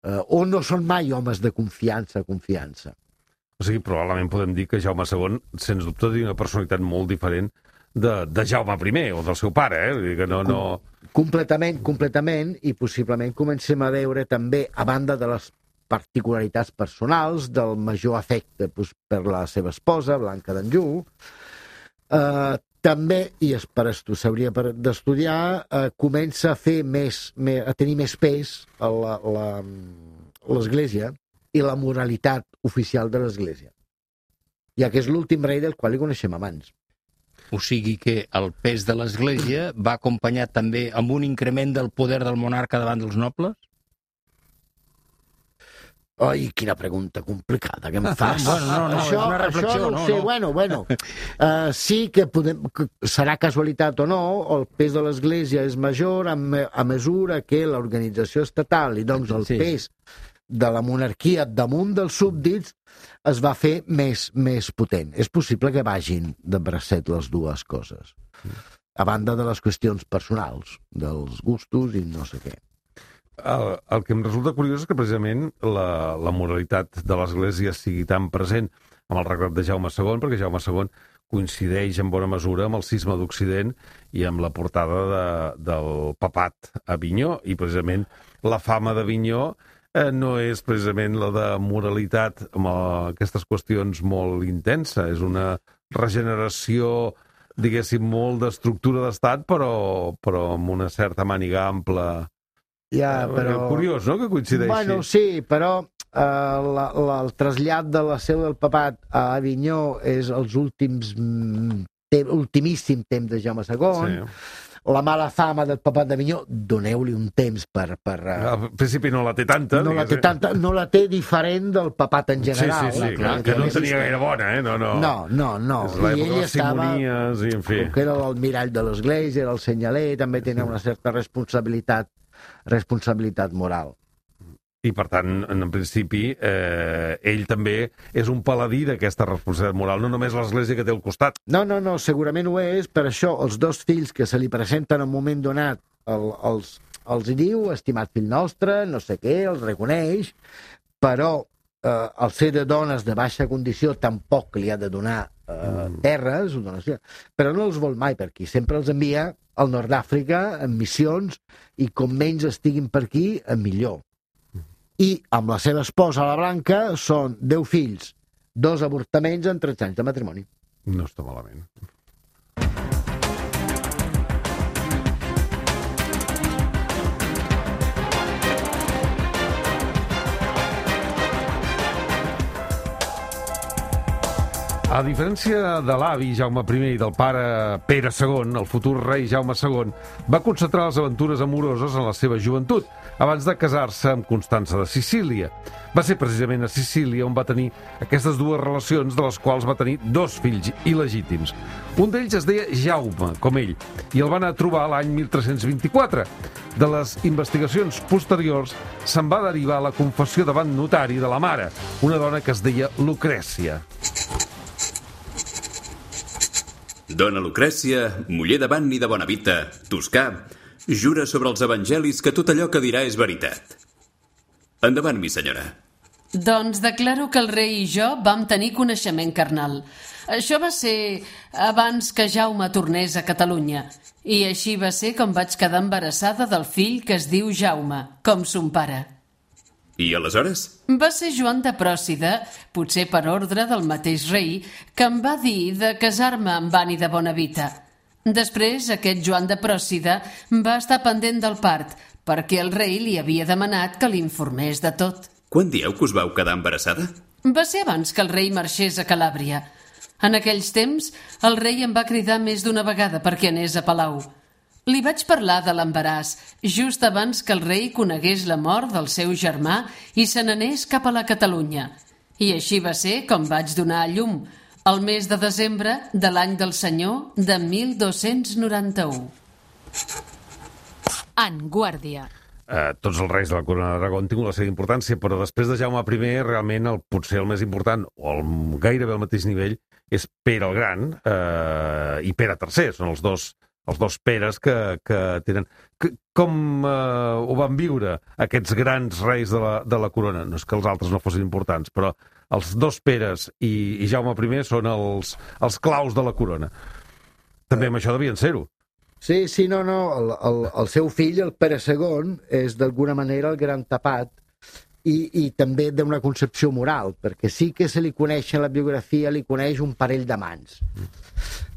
Uh, o no són mai homes de confiança, confiança. O sigui, probablement podem dir que Jaume segon, sens dubte, té una personalitat molt diferent de, de Jaume primer o del seu pare, eh? Que no, no... Completament, completament, i possiblement comencem a veure també, a banda de les particularitats personals, del major afecte pues, per la seva esposa, Blanca d'Anjou, eh, també, i és per esto s'hauria d'estudiar, eh, comença a fer més, més, a tenir més pes l'Església i la moralitat oficial de l'Església, ja que és l'últim rei del qual li coneixem abans. O sigui que el pes de l'Església va acompanyat també amb un increment del poder del monarca davant dels nobles? Ai, quina pregunta complicada que em fas. Bueno, no, no, això, és una reflexió, això no, no, ho sé. no. Bueno, bueno. Uh, sí que, podem, que serà casualitat o no, el pes de l'Església és major a, me, a mesura que l'organització estatal i doncs el Sí. pes de la monarquia damunt dels súbdits es va fer més, més potent. És possible que vagin de bracet les dues coses. A banda de les qüestions personals, dels gustos i no sé què. El, el que em resulta curiós és que precisament la, la moralitat de l'Església sigui tan present amb el regnat de Jaume segon, perquè Jaume segon coincideix en bona mesura amb el cisma d'Occident i amb la portada de, del papat a Avinyó, i precisament la fama d'Avinyó eh, no és precisament la de moralitat amb eh, aquestes qüestions molt intensa, és una regeneració, diguéssim, molt d'estructura d'estat, però, però amb una certa màniga ampla. Ja, però... Curiós, no?, que coincideixi. Bueno, sí, però eh, la, la, el trasllat de la seu del papat a Avinyó és els últims mm, te, ultimíssim temps de Jaume segon. Sí. La mala fama del papat d'Avinyó, doneu-li un temps per... per uh, Al principi no la té tanta. no, la té tanta, no la té diferent del papat en general. Sí, sí, sí, clar, que, que no tenia gaire bona, eh? No, no. No, no, no. És l'època de les estava... simonies i, en fi. Com que era l'almirall de l'Església, era el senyaler, també tenia una certa responsabilitat responsabilitat moral. I, per tant, en principi, eh, ell també és un paladí d'aquesta responsabilitat moral, no només l'Església que té al costat. No, no, no, segurament ho és, per això els dos fills que se li presenten en un moment donat el, els, els diu, estimat fill nostre, no sé què, els reconeix, però eh, el ser de dones de baixa condició tampoc li ha de donar eh, mm. terres, donació, però no els vol mai per aquí, sempre els envia al nord d'Àfrica en missions i com menys estiguin per aquí, millor. I amb la seva esposa, la Blanca, són deu fills, dos avortaments en tretze anys de matrimoni. No està malament. A diferència de l'avi Jaume primer i del pare Pere segon, el futur rei Jaume segon va concentrar les aventures amoroses en la seva joventut, abans de casar-se amb Constança de Sicília. Va ser precisament a Sicília on va tenir aquestes dues relacions, de les quals va tenir dos fills il·legítims. Un d'ells es deia Jaume, com ell, i el van a trobar l'any mil tres-cents vint-i-quatre. De les investigacions posteriors se'n va derivar la confessió davant notari de la mare, una dona que es deia Lucrècia. Dona Lucrècia, muller de Vanni de Bonavita, toscà, jura sobre els evangelis que tot allò que dirà és veritat. Endavant, mi senyora. Doncs declaro que el rei i jo vam tenir coneixement carnal. Això va ser abans que Jaume tornés a Catalunya. I així va ser com vaig quedar embarassada del fill que es diu Jaume, com son pare. I aleshores? Va ser Joan de Pròcida, potser per ordre del mateix rei, que em va dir de casar-me amb Vanni de Bonavita. Després, aquest Joan de Pròcida va estar pendent del part, perquè el rei li havia demanat que l'informés de tot. Quan dieu que us vau quedar embarassada? Va ser abans que el rei marxés a Calàbria. En aquells temps, el rei em va cridar més d'una vegada perquè anés a Palau. Li vaig parlar de l'embaràs just abans que el rei conegués la mort del seu germà i se n'anés cap a la Catalunya. I així va ser com vaig donar a llum, el mes de desembre de l'any del senyor de mil dos-cents noranta-u. En Guàrdia. Eh, tots els reis de la corona d'Aragó han tingut la seva importància, però després de Jaume primer, realment, el, potser el més important, o el, gairebé al mateix nivell, és Pere el Gran eh, i Pere tercer. Són els dos, els dos Peres que, que tenen... Que, com eh, ho van viure aquests grans reis de la, de la corona? No és que els altres no fossin importants, però els dos Peres i, i Jaume primer són els, els claus de la corona. També amb això devien ser-ho. Sí, sí, no, no. El, el, el seu fill, el Pere segon, és d'alguna manera el gran tapat i, i també d'una concepció moral, perquè sí que se li coneix en la biografia, li coneix un parell d'amants.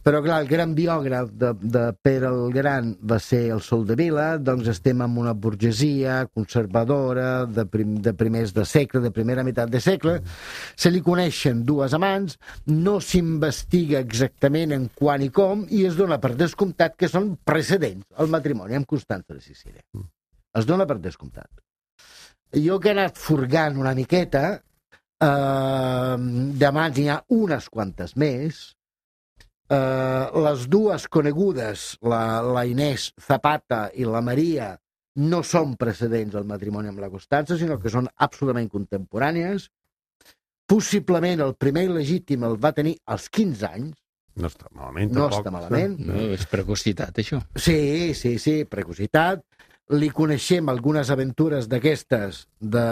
Però, clar, el gran biògraf de, de Pere el Gran va ser el Soldevila, doncs estem en una burgesia conservadora de, prim, de primers de segle, de primera meitat de segle. Se li coneixen dues amants, no s'investiga exactament en quan i com, i es dona per descomptat que són precedents al matrimoni amb Constança de Sicília. Es dona per descomptat. jo que he anat furgant una miqueta, eh, de mans n'hi ha unes quantes més. Eh, les dues conegudes, la, la Inés Zapata i la Maria, no són precedents al matrimoni amb la Constança, sinó que són absolutament contemporànies. Possiblement el primer il·legítim el va tenir als quinze anys. No està malament, No tampoc. està malament. No, és precocitat, això. Sí, sí, sí, precocitat. Li coneixem algunes aventures d'aquestes, de,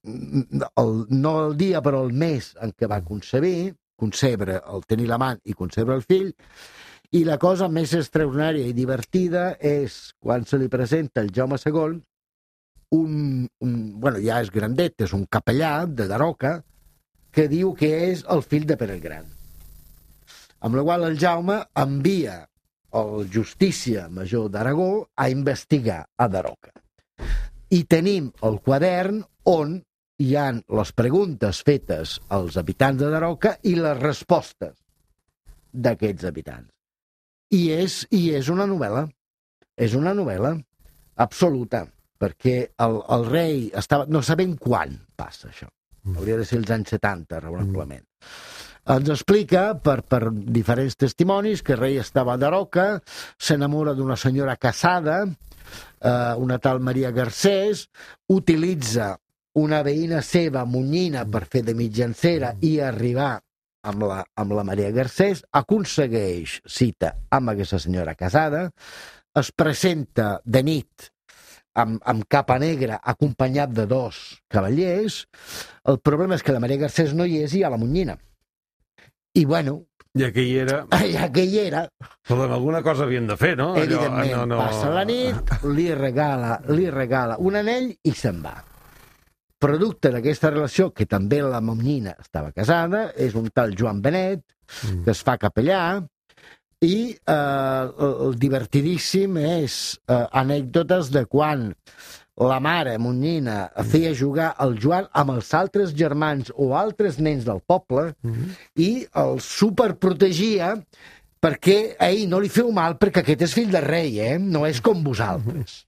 el, no el dia, però el mes en què va concebir, concebre, el tenir l'amant i concebre el fill, i la cosa més extraordinària i divertida és quan se li presenta el Jaume segon, un, un, bueno, ja és grandet, és un capellà de Daroca, que diu que és el fill de Pere el Gran. Amb la qual el Jaume envia el Justícia Major d'Aragó a investigar a Daroca. I tenim el quadern on hi ha les preguntes fetes als habitants de Daroca i les respostes d'aquests habitants. I és, i és una novel·la. És una novel·la absoluta, perquè el, el rei estava... No sabem quan passa això. Hauria de ser els anys setanta, raonablement. Ens explica, per, per diferents testimonis, que el rei estava a Daroca, s'enamora d'una senyora casada, eh, una tal Maria Garcés, utilitza una veïna seva, Munyina, per fer de mitjancera i arribar amb la, amb la Maria Garcés, aconsegueix cita amb aquesta senyora casada, es presenta de nit amb, amb capa negra acompanyat de dos cavallers. El problema és que la Maria Garcés no hi és i hi ha la Munyina. I bueno... Ja que hi era... Ja que hi era... Però alguna cosa havien de fer, no? Evidentment, Allò, no, no... passa la nit, li regala, li regala un anell i se'n va. Producte d'aquesta relació, que també la Munyina estava casada, és un tal Joan Benet, mm. que es fa capellà, i eh, el divertidíssim és eh, anècdotes de quan la mare Munyina feia jugar el Joan amb els altres germans o altres nens del poble mm. i el superprotegia perquè a ell no li feu mal perquè aquest és fill de rei, eh? No és com vosaltres.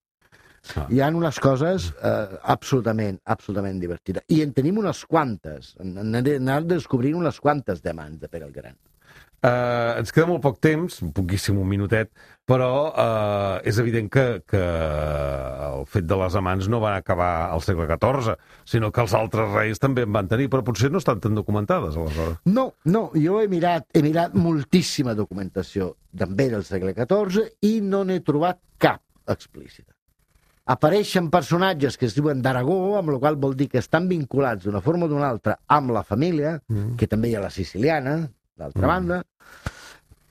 Ah. Hi ha unes coses eh, absolutament, absolutament divertides. I en tenim unes quantes. N'hem de descobrir unes quantes de mans de Pere el Gran. Uh, ens queda molt poc temps, poquíssim, un minutet, però uh, és evident que, que el fet de les amants no va acabar al segle catorze, sinó que els altres reis també en van tenir, però potser no estan tan documentades, aleshores. No, no, jo he mirat, he mirat moltíssima documentació també del segle catorze i no n'he trobat cap explícita. Apareixen personatges que es diuen d'Aragó, amb la qual vol dir que estan vinculats d'una forma o d'una altra amb la família, mm. que també hi ha la siciliana, d'altra mm. banda,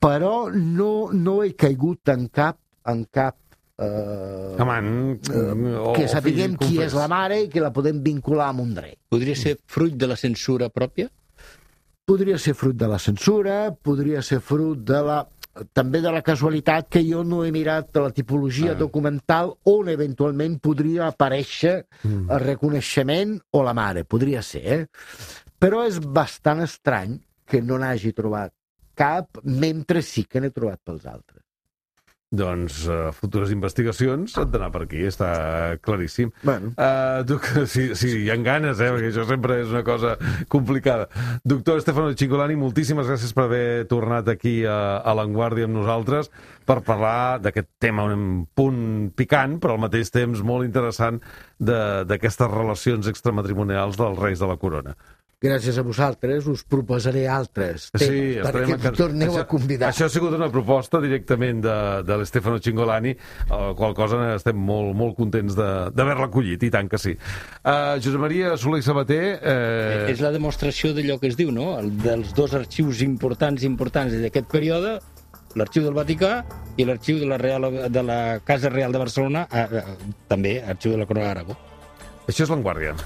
però no, no he caigut en cap, en cap eh, Amant, eh, que sapiguem qui és la mare i que la podem vincular amb un rei. Podria ser fruit de la censura pròpia? Podria ser fruit de la censura, podria ser fruit de la... també de la casualitat que jo no he mirat de la tipologia ah. documental on eventualment podria aparèixer mm. el reconeixement o la mare, podria ser, eh? Però és bastant estrany que no n'hagi trobat cap, mentre sí que n'he trobat pels altres. Doncs uh, futures investigacions han d'anar per aquí, està claríssim. Bueno. Uh, tu, si, si hi ha ganes, eh, perquè això sempre és una cosa complicada. Doctor Stefano Cingolani, moltíssimes gràcies per haver tornat aquí a, a l'Avantguàrdia amb nosaltres per parlar d'aquest tema un punt picant, però al mateix temps molt interessant d'aquestes relacions extramatrimonials dels reis de la corona. Gràcies a vosaltres, us proposaré altres temes sí, perquè em torneu això, a convidar. Això ha sigut una proposta directament de, de l'Stefano Cingolani, a la qual cosa estem molt, molt contents d'haver-la acollit, i tant que sí. Uh, Josep Maria Soler i Sabater... Eh... És la demostració d'allò que es diu, no? El, dels dos arxius importants importants d'aquest període, l'Arxiu del Vaticà i l'Arxiu de, la Real, de la Casa Real de Barcelona, eh, eh, també Arxiu de la Corona d'Aragó. Això és l'Avantguàrdia.